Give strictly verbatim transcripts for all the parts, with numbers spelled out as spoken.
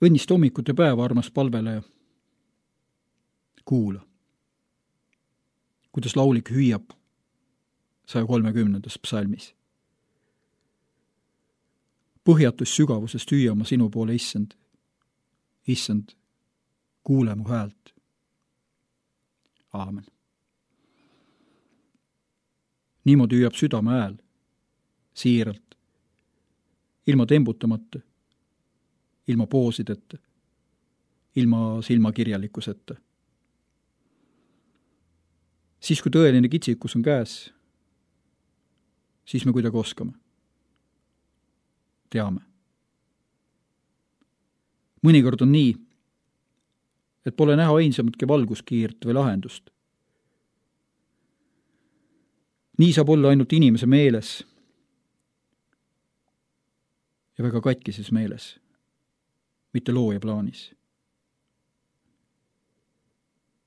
Õnnist hommikut ja päeva, armas palveleja. Kuula, kuidas laulik hüüab saja kolmekümnendas psalmis. Põhjatus sügavusest hüüama sinu poole, issand. Issand, kuule mu häält. Aamen. Niimoodi hüüab südame hääl, siiralt, ilma tembutamata, ilma poosideta, ilma silmakirjalikkuseta. Siis, kui tõeline kitsikus on käes, siis me kuidagi oskame. Teame. Mõnikord on nii, et pole näha ainsamatki valguskiirt või lahendust. Nii saab olla ainult inimese meeles ja väga katkises meeles, mitte looja plaanis.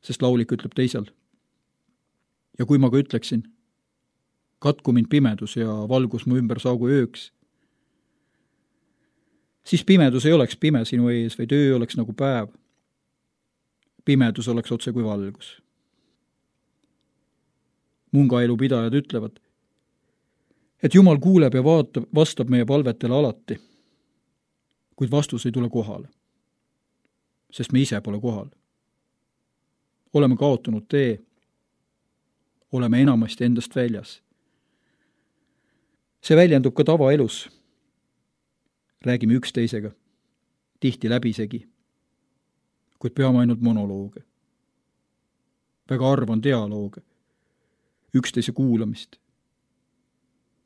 Sest laulik ütleb teisel. Ja kui ma ka ütleksin, katku mind pimedus ja valgus mu ümber saagu ööks, siis pimedus ei oleks pime sinu ees, vaid öö oleks nagu päev. Pimedus oleks otse kui valgus. Mungaelu pidajad ütlevad, et Jumal kuuleb ja vaatab, vastab meie palvetele alati, kuid vastus ei tule kohale, sest me ise pole kohal. Oleme kaotanud tee, oleme enamasti endast väljas. See väljendub ka tavaelus. Räägime üksteisega, tihti läbisegi, kuid peame ainult monolooge. Väga arv on dialooge, üksteise kuulamist,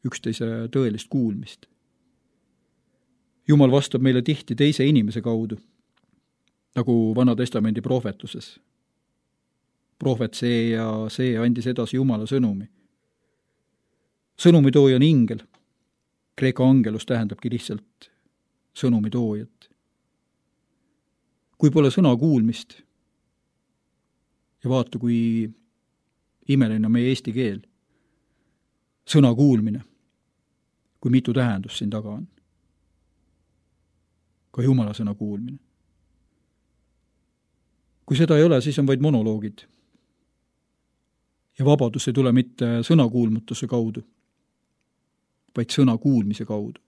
üksteise tõelist kuulmist. Jumal vastab meile tihti teise inimese kaudu, nagu Vana Testamendi prohvetluses. Prohvet see ja see andis edasi Jumala sõnumi. Sõnumitooja on ingel. Kreeka angelus tähendabki lihtsalt sõnumitoojat. Kui pole sõna kuulmist, ja vaata, kui imeline on meie eesti keel, sõna kuulmine, kui mitu tähendust siin taga on. Ka Jumala sõna kuulmine. Kui seda ei ole, siis on vaid monoloogid. Ja vabadus ei tule mitte sõnakuulmutuse kaudu, vaid sõna kuulmise kaudu.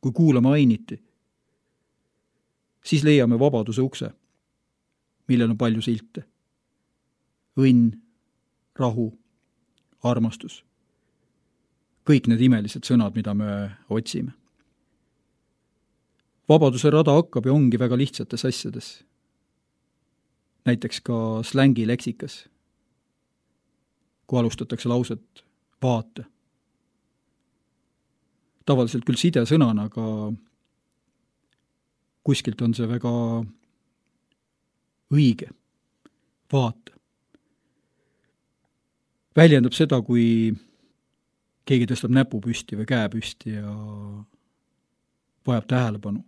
Kui kuulame ainiti, siis leiame vabaduse ukse, millel on palju silte. Õnn, rahu, armastus. Kõik need imelised sõnad, mida me otsime. Vabaduse rada hakkab ja ongi väga lihtsates asjades. Näiteks ka slängi leksikas, kui alustatakse lauset vaata. Tavaliselt küll side sõnana, aga kuskilt on see väga õige. Vaata. Väljendab seda, kui keegi tõstab näpu püsti või käe püsti ja vajab tähelepanu.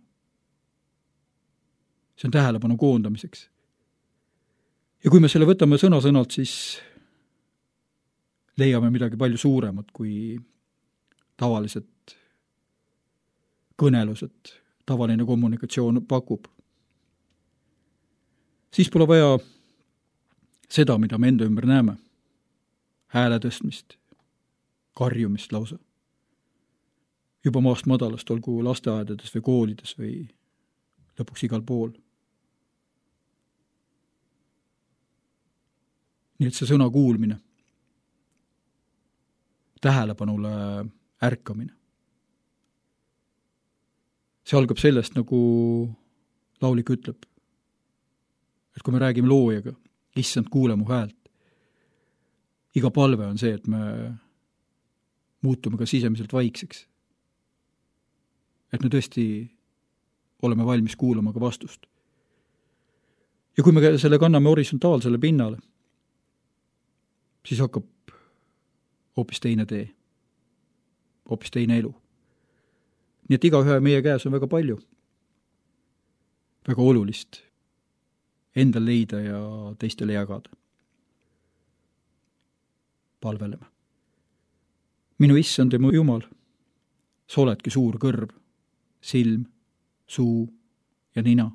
See on tähelepanu koondamiseks. Ja kui me selle võtame sõna-sõnalt, siis leiame midagi palju suuremat kui tavalised kõnelused, tavaline kommunikatsioon pakub. Siis pole vaja seda, mida me enda ümber näeme. Hääle tõstmist, karjumist lausa. Juba maast madalast, olgu lasteaedades või koolides või lõpuks igal pool. Nii et see sõna kuulmine, tähelepanule ärkamine. See algab sellest, nagu laulik ütleb, et kui me räägime loojaga, issand, kuule mu häält. Iga palve on see, et me muutume ka sisemiselt vaikseks. Et me tõesti oleme valmis kuulama ka vastust. Ja kui me selle kanname horisontaalsele pinnale, siis hakkab hoopis teine tee, hoopis teine elu. Nii et igaühe meie käes on väga palju, väga olulist endal leida ja teistele jagada. Palveleme. Minu issand ja mu Jumal, sa oledki suur kõrv, silm, suu, ja nina.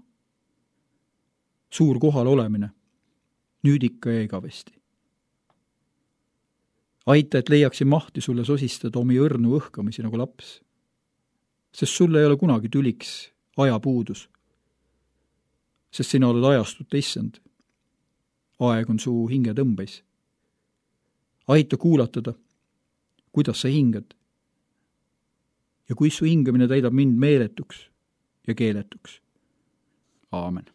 Suur kohal olemine, nüüd ikka ja igavesti. Aita, et leiaksin mahti sulle sosistada omi õrnu õhkamisi nagu laps, sest sulle ei ole kunagi tüliks ajapuudus, sest sina oled ajastut issand. Aeg on su hinge tõmbais. Aita kuulatada, kuidas sa hingad ja kui su hingamine täidab mind meeletuks ja keeletuks. Aamen.